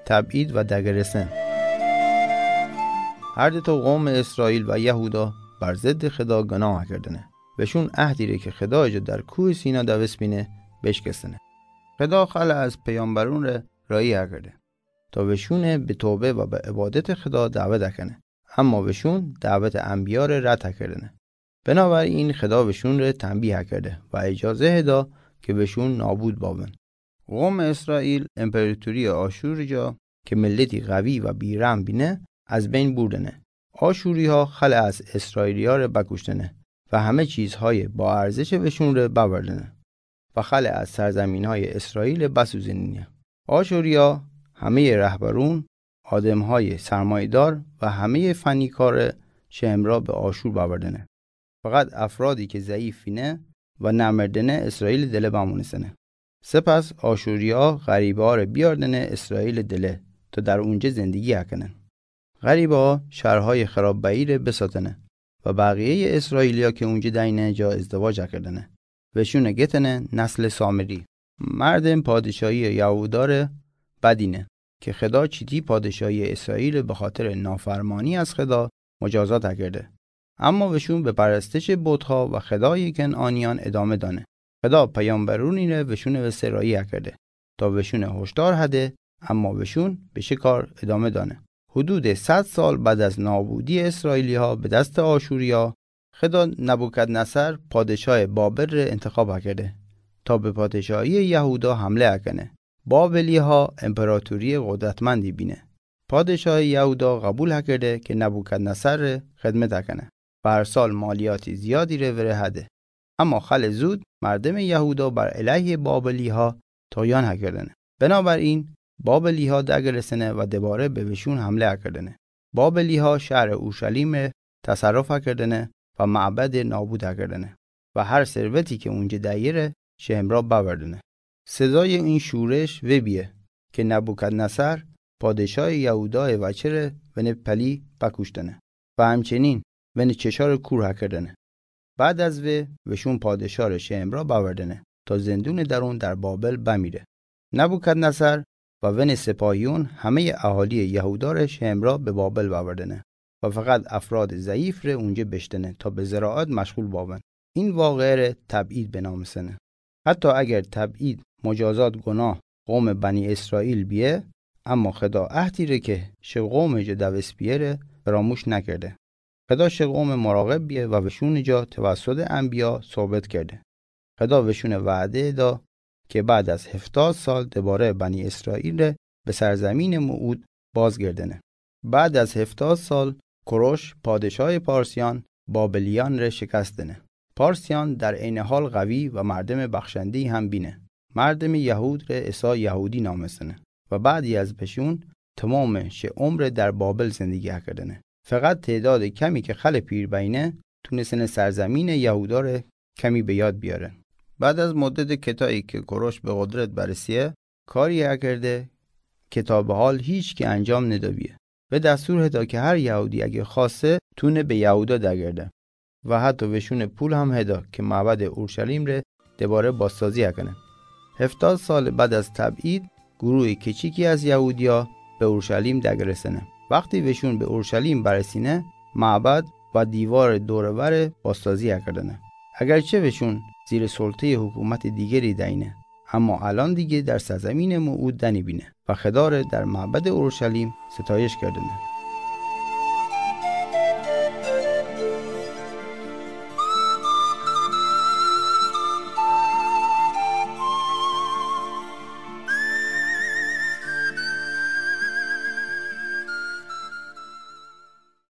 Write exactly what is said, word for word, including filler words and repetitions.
تبعید و دگرسن. هر دو تا قوم اسرائیل و یهودا بر ضد خدا گناه کردنه. وشون عهدی ره که خدای جا در کوه سینا دوست بینه، بشکستنه. خدا خلع از پیامبرون ره راهی کرده تا وشون به توبه و به عبادت خدا دعوت کنه. اما وشون دعوت انبیا ره رد کردنه. بنابراین خدا وشون ره تنبیه کرده و اجازه دا که وشون نابود بابن. قوم اسرائیل امپراتوری آشور جا که ملتی قوی و بی‌رحم بینه، از بین بردنه. آشوری ها خلع از اسرائیلیا ره بکشتنه و همه چیزهای با ارزش وشون ره ببردنه و خلع از سرزمین‌های اسرائیل بسوزنینه. آشوریا همهٔ رهبرون، آدم‌های سرمایه‌دار و همهٔ فنیکار شمرا به آشور ببردنه. فقط افرادی که ضعیفینه و نمردنه اسرائیل دله بمونستنه. سپس آشوریا غریبه‌ها ره بیاردنه اسرائیل دله تا در اونجه زندگی کنن. غریبه‌ها شهرهای خرابه‌ای ره بساتنه و بقیهٔ اسرائیلیا که اونجه دینه جا ازدواج کردنه. وشون گتنه نسل سامری. مردم پادشاهی یهودا ره بدینه که خدا چیتی پادشاهی اسرائیل به خاطر نافرمانی از خدا مجازات کرده. اما وشون به پرستش بت‌ها و خدای کنعانیان ادامه دانه. خدا پیامبرونی ره وشون وسه راهی کرده تا وشون هشدار هده، اما وشون به شکار ادامه دانه. حدود صد سال بعد از نابودی اسرائیلی‌ها به دست آشوریا، خدا نبوکدنصر پادشاه بابل ره انتخاب کرده تا به پادشاهی یهودا حمله کنه. بابلی‌ها امپراتوری قدرتمندی بینه. پادشاه یهودا قبول کرده که نبوکدنصر ره خدمت کنه و هر سال مالیات زیادی ره وره هده. اما خیلی زود مردم یهودا بر علیه بابلی‌ها طغیان کردنه. بنابراین بابلی‌ها دگرسنه و دوباره به وشون حمله کردنه. بابلی‌ها شهر اورشلیم تصرف کردنه و معبد نابود کردنه و هر ثروتی که اونجه دایره شمرا ببردنه. صدای این شورش وبیه که نبوکدنصر پادشاه یهودا وچه ره ونه پلی بکشتنه و همچنین ونه چشار کور کردنه. بعد از و وشون پادشاه ره شمرا ببردنه تا زندون درون در بابل بمیره. نبوکدنصر و ونه سپاهیون همهٔ اهالی یهودا ره شمرا به بابل ببردنه و فقط افراد ضعیف ره اونجه بشتنه تا به زراعت مشغول بابن. این واقعه ره تبعید بنامسنه. حتی اگر تبعید مجازات گناه قوم بنی اسرائیل بیه، اما خدا عهدی ره که شه قوم جا دوست بیه ره فراموش نکرده. خدا شه قوم مراقب بیه و وشون جا توسط انبیا ثابت کرده. خدا وشون وعده دا که بعد از هفتاد سال دوباره بنی اسرائیل ره به سرزمین موعود بازگردنه. بعد از هفتاد سال کوروش پادشاه پارسیان بابلیان ره شکست دنه. پارسیان در عین حال قوی و مردم بخشنده‌ای هم بینه. مردم یهود ره عیسی یهودی نامستنه و بعدی از بشون تمام شه عمر در بابل زندگی کردنه. فقط تعداد کمی که خیلی پیر بینه تونستنه سرزمین یهودا ره کمی به یاد بیارن. بعد از مدت کتایی که کوروش به قدرت برسیه، کاری کرده که تا به حال هیچ کی انجام ندابیه. و دستور هدا که هر یهودی اگه خواسته تونه به یهودا دگرده و حتی وشون پول هم هدا که معبد اورشلیم ره دوباره بازسازی کنه. هفتاد سال بعد از تبعید، گروه کوچیکی از یهودیا به اورشلیم دگرسنه. وقتی وشون به اورشلیم برسینه، معبد و دیوار دور و بر بازسازی کردنه. اگرچه وشون زیر سلطهٔ حکومت دیگری دینه، اما الان دیگه در سرزمین موعود دنی بینه و خدا ره در معبد اورشلیم ستایش کردنه.